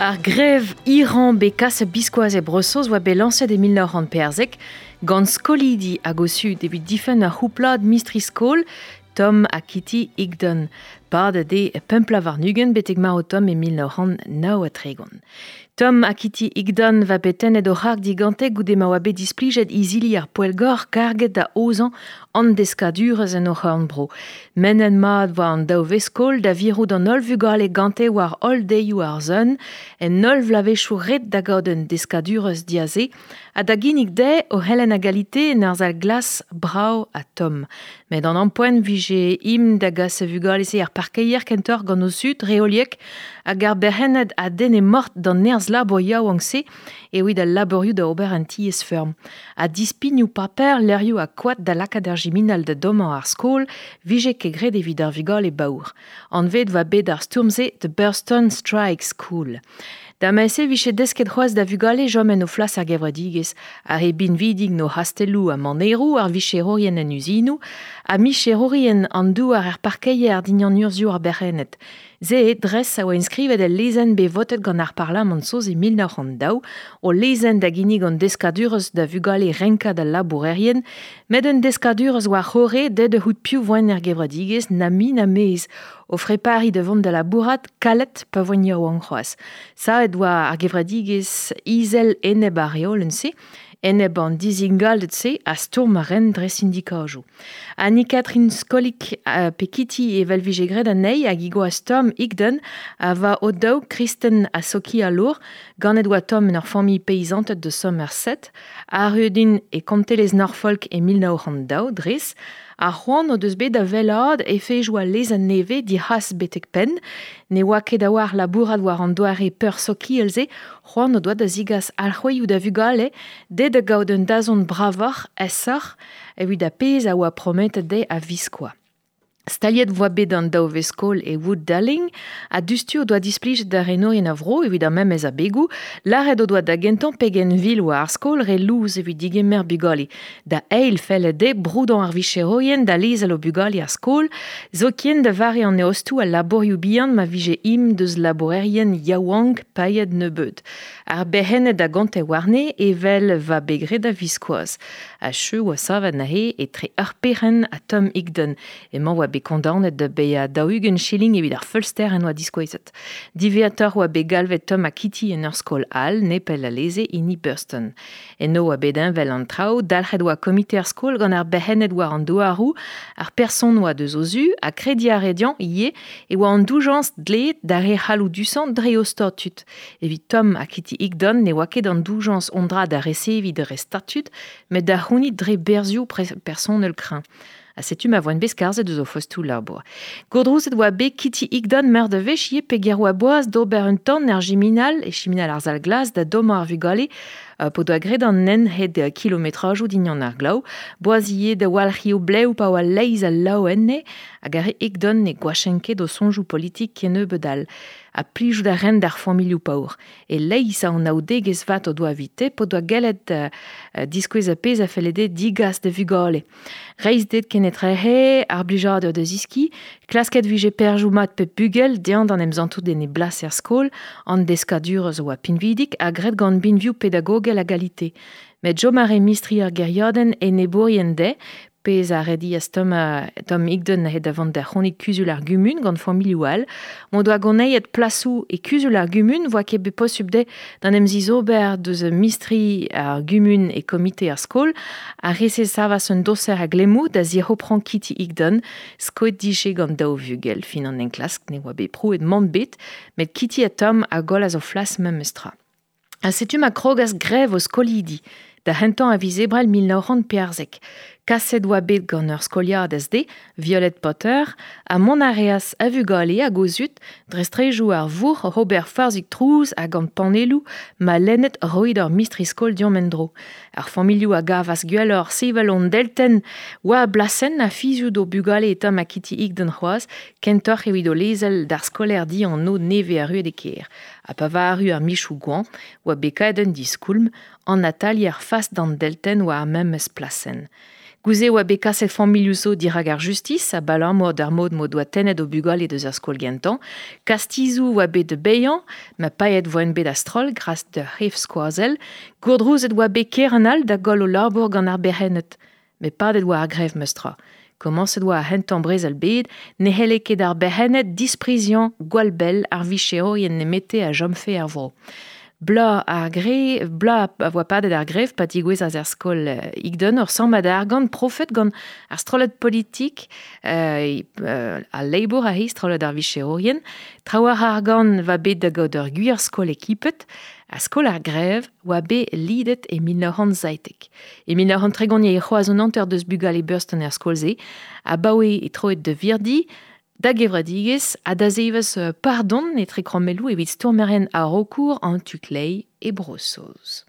Ar grev Iran bet kaset biskoazh e Bro-Saoz oa bet lañset e 1914 gant skolidi hag o zud evit difenn ur c'houplad mistri-skol Tom ha Kitty Higdon. Padet eo 25 betek marv Tom e 1939. Tom ha Kitty Higdon va bet tennet o c'harg digante goude ma oa bet displijet izili ar poellgor karget da aozañ an deskadurezh en o c'horn-bro. Mennet mat war an daou veskol da virout an holl vugale gante war holl deioù ar sun, en holl vloavezhioù ret da gaout un deskadurezh diaze, ha da ginnig dezhe o c'helenn a galite en ur sal glas brav ha tomm. Met an ampoent vije im da gas e vugale-se er parkeier kentoc'h gant o zud reoliek hag ar berc'henned a denne mort d'an nerzh labour yaouank-se evit al labourioù da ober an tiez-feurm. Ha dispignoù paper, levrioù ha koad da lakaat ar jiminal da dommañ ar skol vije ket graet evit ar vugale baour. Anvet oa bet ar stourm-se The Burston Strike School. Da ma-se vije desket c'hoazh da vugale chom en o flas ar gevredigezh, ar re binvidik 'n o c'hastelloù ha maneroù, ar vicherourien en uzinoù, ha micherourien an douar er parkeier dindan urzhioù ar berc'henned. Se eo dres a oa enskrivet el lezenn bet votet gant ar Parlamant saoz e 1902, o lezenn da ginnig an deskadurezh da vugale renkad al labourerien, met un deskadurezh war c'horre deuet da c'hoût piv voent er gevredigezh na mui na maez, o frepariñ da vont da labourat kalet pa voent yaouank c'hoazh. Savet oa ar gevredigezh izel enep ar reolenn-se, enep an dizingalded-se a stourm a ren dre sindikajoù. Annie-Catherine Skolik pe Kitty evel vije graet anezhi hag he gwaz Tom Higdon a va o-daou kristen ha sokialour. Ganet oa Tom en ur familh peizanted de Somerset. Arruet int e kontelezh Norfolk e 1902 dres. Ar c'hoant o deus bet da wellaat efejoù al lezenn nevez dic'has betek penn. Ne oa ket a-walc'h labourat war an doare peursokial-se, c'hoant o doa da zigas alc'hwezioù da vugale, dezhe da gaout un dazont bravoc'h, aesoc'h, evit ar pezh a oa prometet dezhe a-viskoazh. Staliet voa bet an daou vez-skol e Wood Darling ha diouzhtu o doa displijet da renourien a vro evit ar memes abegoù. Lâret o doa da gentañ pegen vil oa ar skol re lous evit digemer bugale. Da eil felle dezhe broudañ ar vicherourien da lezel o bugale er skol, zoken da vare an eostoù ha labourioù bihan ma vije im deus labourerien yaouank paeet nebeut. Ar berc'henned a gonte warne evel va bet graet a-viskoazh. Ha cheu oa savet neuze etre ur perc'henn ha Tom Higdon. Emañ oa bet kondaonet da baeañ 40 shilling evit ar feulster en doa diskouezet. Diwezhatoc'h oa bet galvet Tom ha Kitty en ur skol all, nepell alese hini Burston. Eno oa bet heñvel an traoù, dalc'het oa komite ar skol gant ar berc'henned war an douaroù, ar person oa deus o zu, ha krediñ a rae dezhañ ivez e oa an doujañs dleet d'ar re c'halloudusañ dre o statud. Evit Tom ha Kitty Higdon ne oa ket an doujañs un dra da reseviñ dre statud, met da c'hounit dre berzhioù personel kreñv. Ha setu ma voent bet skarzhet eus o fostoù labour. Gourdrouzet oa bet Kitty Higdon meur da wech ivez peger oa boaz d'ober un tamm er jiminal, e chiminal ar sal glas, da dommañ ar vugale p'o doa graet an hent hed kilometrajoù dindan ar glav. Boaz ivez da walc'hiñ o blev pa oa leizh al lav enne, hag ar re Higdon ne goachent ket o soñjoù politik kennebeut all. Ha plijout a raent d'ar familhoù paour. E-leizh a anaoudegezh vat o doa evite p'o doa gellet diskouez ar pezh a felle dezhe digas da vugale. Reizhded kenetrehe, ar blijadur da zeskiñ, klasket vije perzhioù mat pep bugel dezhañ d'an em santout en e blas er skol, an deskadurezh a oa pinvidik ha graet gant binvioù pedagogel a galite. Met chom a rae mistri ar gêriadenn enebourien dezhe, pezh a redias Tom, Tom Higdon neuze da vont da c'honit kuzul ar gumun gant familhoù all. M'o doa goneiet plasoù e kuzul ar gumun voa ket bet posubl dezhe d'an em zizober deus mistri ar gumun e komite ar skol. Ar re-se savas un doser a glemmoù da zic'hoprañ Kitty Higdon, skoet dije gant daou vugel. Fin an enklask ne oa bet prouet mann bet, met Kitty ha Tom a gollas o flas memestra. Ha setu ma krogas grev o skolidi, da c'hentañ a viz Ebrel 1914. Kaset oa bet gant ur skoliadez dezhe, Violet Potter, ha mont a reas a vugale hag o zud dre straejoù ar vourc'h oc'h ober forzhig trouz ha gant panelloù ma lennet roit hor mistri-skol deomp en-dro. Ar familhoù a gavas gwelloc'h sevel hon deltenn war blasenn ha fiziout o bugale eta ma Kitty Higdon c'hoazh, kentoc'h evit o lezel d'ar skolaer dianv nevez arruet e kêr. Ha pa va arru ar michoù goañv, oa bet kaeet un diskoulm, an atalier fas d'an deltenn war ar memes plasenn. Gouze oa bet kaset familhoù zo dirak ar justis abalamour d'ar mod m'o doa tennet o bugale deus ar skol gentañ. Kastizoù oa bet da baeañ, ma paeet voent bet a-stroll gras d'ur c'hef skoazell. Gourdrouzet oa bet kerent all da goll o labour gant ar berc'henned. Met padet oa ar grev meus tra. Komañset oa ar c'hentañ brezel bed, ne c'helle ket ar berc'henned dispriziañ gwall bell ar vicherourien nemete a chomfe er vro. Bloaz ar gre, bloaz a voa padet ar grev pa digouezas er skol Higdon ur sammad argant profet gant ar strollad politik al Labour a he strollad ar vicherourien. Traoù ar argant va bet da gaout ur gwir skol ekipet, a skol ar grev oa bet lidet e 1917. E 1930 e c'hoaz an hanter deus bugale Burston er skol-se, abaoe e troet da virdi, da gevredigezh ha da zevez pardon etre krommelloù evit stourmerien a-raokour an tu-kleiz e Bro-Saoz.